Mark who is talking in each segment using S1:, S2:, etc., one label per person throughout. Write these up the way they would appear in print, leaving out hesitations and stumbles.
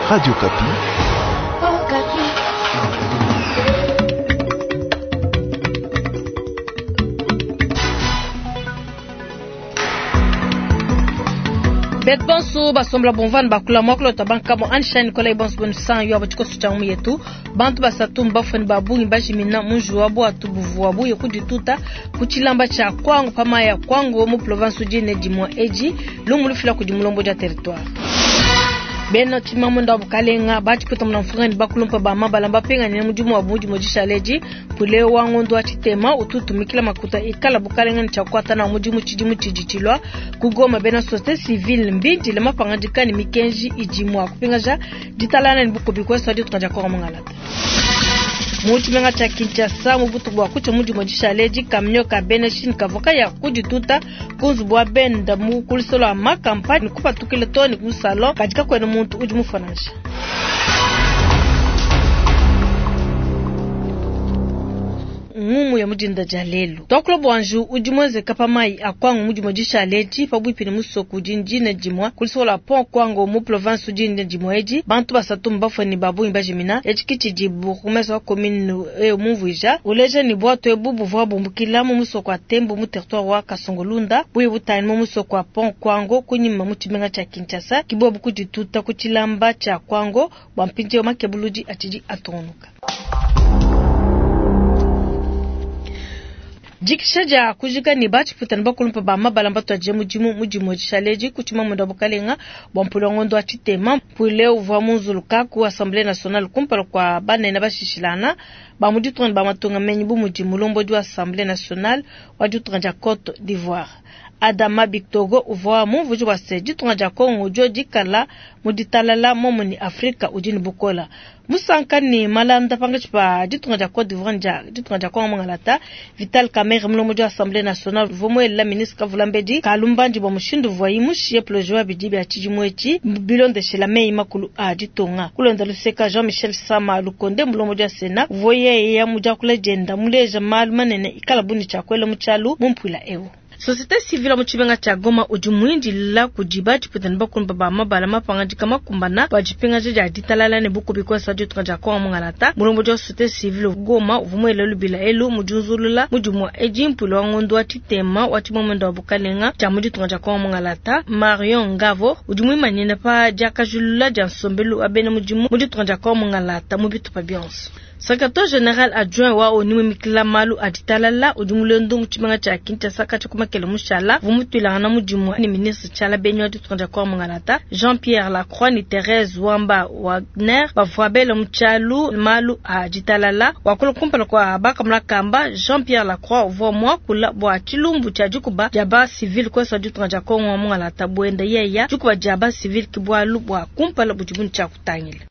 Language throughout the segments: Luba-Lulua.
S1: Radio Okapi.
S2: Betu bonso basombola bumvua bakula muakulu wa bankamo ansha Nikolai bonso benu san yo tshikoso tshia ngumu yetu. Bantu basatu mbafue ne ba bungi bajimina mu njiwu wa buatu buvua buye kudituta ku tshilamba tshia Kwango pa mayi a Kwango mu province udi ne dimue edi lumu lufila kudi mulombodi wa territoire. Bena tshimamunda wa bukalenga ba tshiputa muna mfunga ne bakulumpa ba mabala mbapinganyine mudimu wa mu dimue dishala edi. Pule wa ngondo wa tshitema utu utumikila makuta ikala bukalenga ne tshia kukuata nawu mudimu tshidimu tshidi tshilua. Ku Goma, bena société civile mbindile mapangadika ne mikenji idi mua kupingaja ditalala ne bukubi kuenza ditunga dia Kongo Mungalata. Mu tshimenga tshia Kinshasa, mu butuku bua kutshia mu dimue dishala edi, camion ka bena Chine kavua kaya kudituta ku nzubu wa benda mu kulusolo lua Makampa ne kupatukila too ne ku salon, kadi kakuena muntu udi mufue nansha. Ngumu ya mudinda dia lelu tuakula bua njiwu udi muenzeka pa mayi a Kwango mu dimue dishala edi pabuipi ne musoko udi ndina dimue ku lusoko lua Pont Kwango mu province udi ndina dimue edi. Bantu basatu mbafue ne ba bungi bajimina. Etshi ke tshidi bourgmestre wa commune eu mumvuija, uleja ne buatu ebu buvua bumbukila mu musoko wa Tembo mu territoire wa Kasongolunda buye butangile mu musoko wa Pont Kwango kunyima mu tshimenga tshia Kinshasa. Ke bobu kudituta ku tshilamba tshia Kwango bua mpindieu makebuludi atshidi atungunuka. Dikisha dia kujika ne batshiputa ne bakulumpa ba mabala mbatuadije mudimu mu dimue dishala edi ku tshimamunda wa bukalenga bua mpuilu wa ngondo wa tshitema. Mpuilu uvua munzuluka ku Assemblée nationale kumpala kua banene bashishilana ba mu ditunga ne ba matunga menyi bu mudi mulombodi wa Assemblée nationale wa ditunga dia Côte d'Ivoire. Adama Bictogo uvua mumvuiji wa se ditunga dia Congo dio dikala mu ditalala momo ne Afrika udi ne bukola. Musanka ne malanda pangatshi pa ditunga dia Côte d'Ivoire ne dia ditunga dia Congo Mungalata. Vital Kamerhe mulombodi wa Assemblée nationale uvua muelela ministre Kavulambedi kalumbandi bua mushindu uvuaye mushiye projet wa bidi bia tshidimu etshi bilondeshela meyi makulu a ditunga. Kulonda luseka Jean-Michel Sama Lukonde mulombodi wa Sénat uvua yeya mu diakula dienda muleja malu manene ikala bu ne tshia kuela mu tshialu mu mpuila eu. Société civile mu tshimenga tshia Goma udi muindila kudi batshiputa ne bakulumpa ba mabala mapangadika makumbana bua dipingaja dia ditalala ne bukubi kuenza ditunga dia Kongo Mungalata. Mulombodi wa société civile Goma uvua muele lubila elu mu diunzulula mudimu wa edi mpuilu wa ngondo wa tshitema wa tshimomendo wa bukalenga tshia mu ditunga dia Kongo Mungalata. Marion Ngavo udi muimanyine pa diakajulula dia nsombelu wa bena mudimu mu ditunga dia Kongo Mungalata mu bitupa bionso. Secrétaire général adjoint wa ONU muimikila malu a ditalala udi mulendo mu tshimenga tshia Kinshasa katshia ku makele mushala uvua mutuilangana mudimu ne ministre Tshiala Benyi wa ditunga dia Kongo Mungalata Jean-Pierre Lacroix ne Therese Wamba Wagner bavua bela mu tshialu malu a ditalala. Wakula kumpala kua bakamona kamba Jean-Pierre Lacroix uvua muakula bua tshilumbu tshia dikuba dia ba civil kuenza ditunga dia Kongo Mungalata buenda yeya dikuba dia ba civil ke bualu bua kumpala budi bu ne tshia kutangila.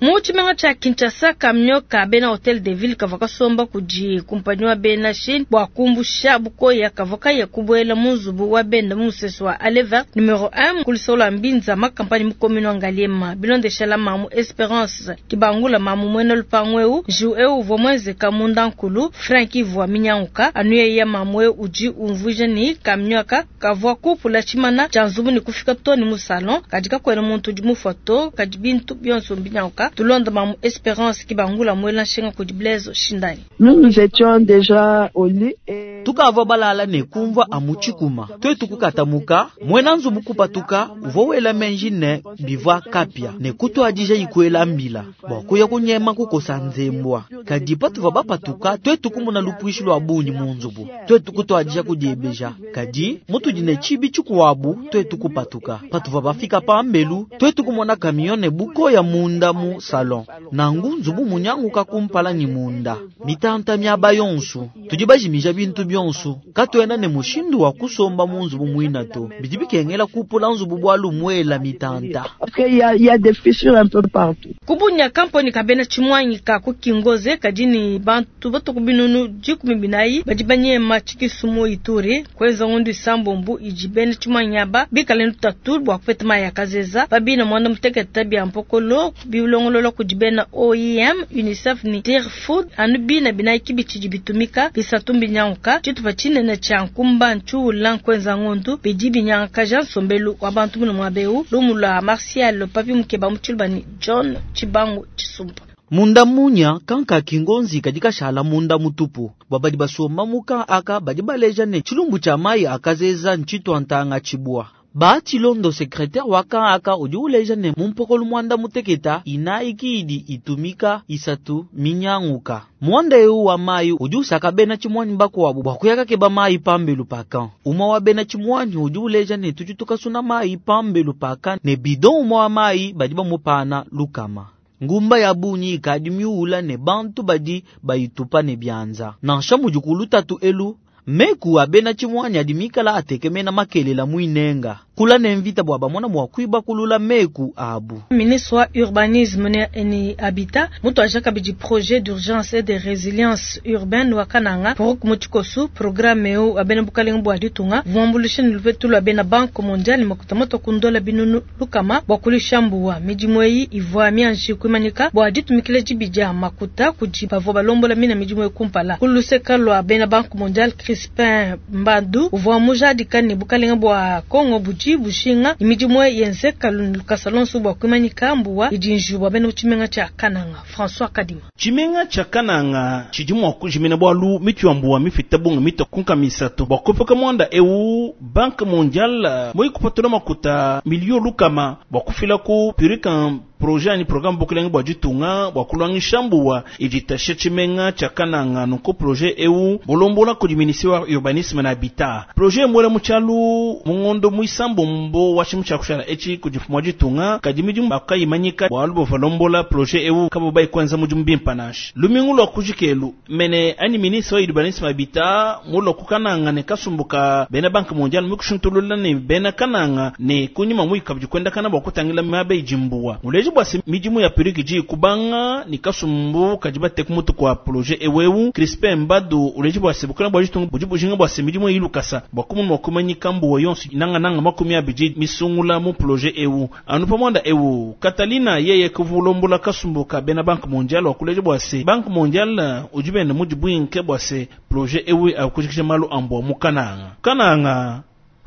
S2: Mu tshimenga tshia Kinshasa, camion ka bena Hotel de Ville kavua kasomba kudi kumpanyi wa bena Chine bua kumbusha bukoya kavua kaya kubuela mu nzubu wa benda mu musesu wa Allée Verte numero 1 ku luseke lua Mbinza makampani mu commune wa Ngaliema. Bilondeshela mamu Esperance Kibangula mamu muena lupangu eu, njiwu eu uvua muenzeka munda nkulu Frank ivua minyanguka anu yeya mamu eu udi umvuija ne camion aka kavua kupula tshimana tshia nzubu ne kufika too ne mu salon, kadi kakuena muntu udi mufua to, kadi bintu bionso mbinyanguka. Tulonda mamu Esperance Kibangula muela nshinga kudi Blaise Shindani.
S3: Nous, nous étions déjà au lit et
S4: tukavua balala ne kumvua amu tshikuma twetu kukatamuka muena nzubu kupatuka uvua wela menji ne bivua kapia ne kutuadija ikuela mbila bua kuya kunyema kukosa nzembwa. Kadi patuvua bapatuka twetu kumona lupuishi lua bungi mu nzubu twetu kutuadija kudiebeja kadi mutudi ne tshibi tshikuabu twetu kupatuka. Patuvua bafika pambelu twetu kumona camion ne bukoya munda mu salon nangu nzubu munyanguka kumpala ni munda mitanta miaba yonsu tudi bajimija bintu bionsu katuena ne mushindu wa kusomba mu nzubu muina to bidi bikengela kupula nzubu bwalu muela mitanta.
S3: Parce qu'il y a des fissures un peu partout.
S2: Kubunya kamponi kabena tshimwanyi ka kukingoze kadi ni bantu batuku binunu 14 badi banyema tshikisumu Ituri kwenza ngondu isambombu idi bena tshimwanyi aba bikale lutatu bua kupeta mayi ya kazeza babina mwanda mutekete bia mpokolo bilongolola. bilongolola kudi bena OIM, UNICEF ne Tearfood. Anu bina binayi ki bitshidi bitumika, bisatu mbinyanguka. Tshitupa tshinene tshia nkumba ntshiula nkuenza ngondu, bidi binyangakaja nsombelu wa bantu mune muaba eu. Lumu lua Martial Papi Mukeba mu tshiluba ne John Tshibangu Tshisumbu.
S4: Munda munya kanka kingonzi kadi kashala munda mutupu bua badi basomba muka aka badi baleja ne tshilumbu tshia mayi akazeza ntshitwa ntanga tshibwa. Ba Tshilondo secrétaire wa kan aka udi uleja ne mumpokolo mwanda muteketa inayi idi itumika isatu minyanguka. Mwanda eu wa mayi udi usaka bena tshimwanyi bakuabu bua kuyaka keba mayi pambelu paka. Umwa wa bena tshimwanyi udi uleja ne tudi tukasuna mayi pambelu paka ne bidon umwa wa mayi badi bamupana lukama. Ngumba ya bunyi ikadi miula ne bantu badi bayitupa ne bianza. Nansha mudi tatu elu meku abena tshimwanyi adi mikala atekemena makelela muinenga. Kula ne mvita bua bamona mua kuiba kulula meku abu.
S2: Ministre wa urbanisme ne habitat mutu aja kabidi projet d'urgence et de résilience urbaine wa Kananga pour mutikosu programme eu abena bukalenga bua ditunga vuambulisha ne lupetu lwa bena Banque mondiale makuta kundola binunu lukama bua kulisha mbuwa midimu eyi ivua mianji kuimanyika bua ditumikila dibi makuta kudi bavua balombola mina midimu kumpala kuluseka lwa bena Banque mondiale Crispin Mbadu uvua mujadika ne bukalenga bua Kongo budi bushinga imidimu yenzeka lukasa lonso bua kuimanyika mbuwa idi njuba bena tshimenga tshia Kananga. François Kadima.
S1: Tshimenga tshia Kananga tshidi mua kujimina bwalu mitu ya mbuwa mifita bunga mito kunka misato bua kuepuka mwanda eu Banque mondiale moi kupatula makuta milio lukama bua kufila ku purikan projet ani programme bukelenge bua ditunga bua kulwangisha mbuwa iditashe tshimenga tshia Kananga. Nunku projet eu mulombola kudi ministère wa urbanisme na habitat. Projet mwela mutshalu mungondo muisambombo wa tshimu tshia kushala echi kudi mfumu wa ditunga kadi midimu bakayimanyika bwalu bova projet eu kabo bayikwenza mudimu bimpa nansha lumingu lwa kujikelu mene ani ministre wa urbanisme habitat mulo kukananga ne kasumbuka bena Banque mondiale mukushuntulula ne bena Kananga ne kunyima muikabidi kwenda kana bua kutangila miaba ijimbuwa muleji bua se midimu ya periki ji kubanga ni kasumbu kadi bate kumutu kwa projet ewewu Crispin Mbadu uleji bua se bukana bua jitunga budi bujinga bua se midimu ilukasa bua kumunu wa kumanyika mbuwa yonso nanga nanga makumi abidi misungula mu projet ewu anu pamwanda ewu Katalina yeye kuvulombola kasumbu ka bena Banque mondiale wa kuleji bua se Banque mondiale udi bena mudi bwinke bua se projet ewu akujikisha malu ambwa mu Kananga. Kananga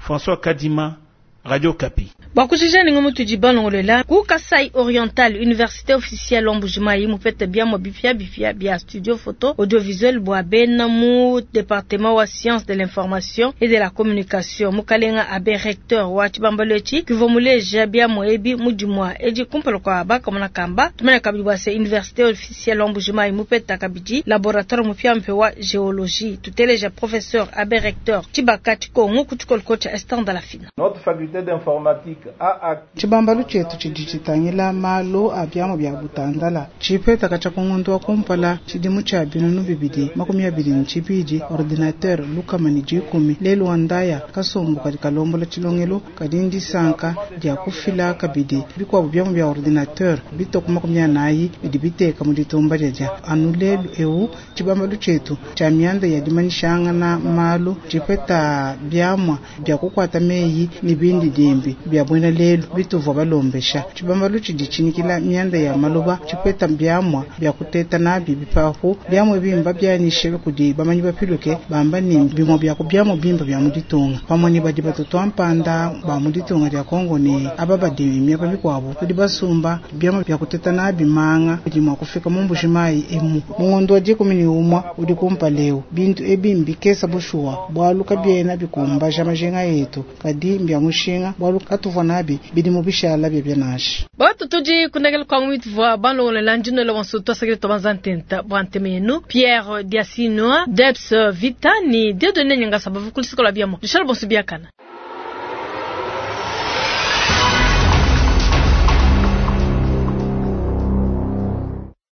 S1: François Kadima, Radio Kapi.
S2: Bakujija ningo mutu balongolela ku Kasai Oriental Université officielle Mbujimayi mupete bia mo bifia bifia bia studio photo audiovisuel bua bena mu département wa sciences de l'information et de la communication mukalenga abe recteur wa chibambalo echi kivo muleja bia mo ebi mudimwa edi kumpala kwa baka mona kamba tumene kabidi bua se université officielle Mbujimayi mupeta kabidi laboratoire mupia mpe wa géologie tuteleja professeur abe recteur Chibaka Chikongo kuchikolko cha Esther Ndalafina.
S5: Notre faculté d'informatique a acquis
S6: tshibambalu tshietu tshidi tshitangila malu a biamu bia butandala tshipetaka tshia kungundu wa kumpala tshidimu tshia binunu bibidi makumi abidi ne tshibidi ordinateur lukama ne dikumi lelu wa ndaya kasumbu kadi kalombola tshilongelo kadi ndisanka dia kufila kabidi bikuabu biamu bia ordinateur bitoku makumi anayi bidi biteka mu ditumba dia anu lelu eu tshibambalu tshietu tshia mianda ya dimanyishangana malu tshipeta biamua bia kukwata meyi ne bindi dimbi bia bwena lelu bituvua balombesha tshibambalu tshidi tshinikila mianda ya maloba tshipeta biamua bia kuteta nabi bipapu biamua bimba bianyishe kudi bamanyi bapiluke bamba ne bimua bia ku biamua bimba bia mu ditunga pamue ne badi batutua mpanda ba mu ditunga dia Kongo ne aba badi miaba bikuabu tudi basumba biamua bia kuteta nabi manga bidi mua kufika mu Mbujimayi emu mu ngondo wa dikumi ne umua udi kumpaleu bintu ebi mbikesa bushuwa bwalu kabiena bikumbaja majinga yetu kadi mbia mushinga bwalu katuvua nabi bidi mu bishala bia bia
S2: Batu tudi kunagela kwa mwitu balongolela ndino la wanso twasakile tobanza ntenta bwa ntemenu Pierre Diasinoa Debs Vita ni Dieudonné Nyangasa bavukulisikola biamo Michel Bonsu biakana.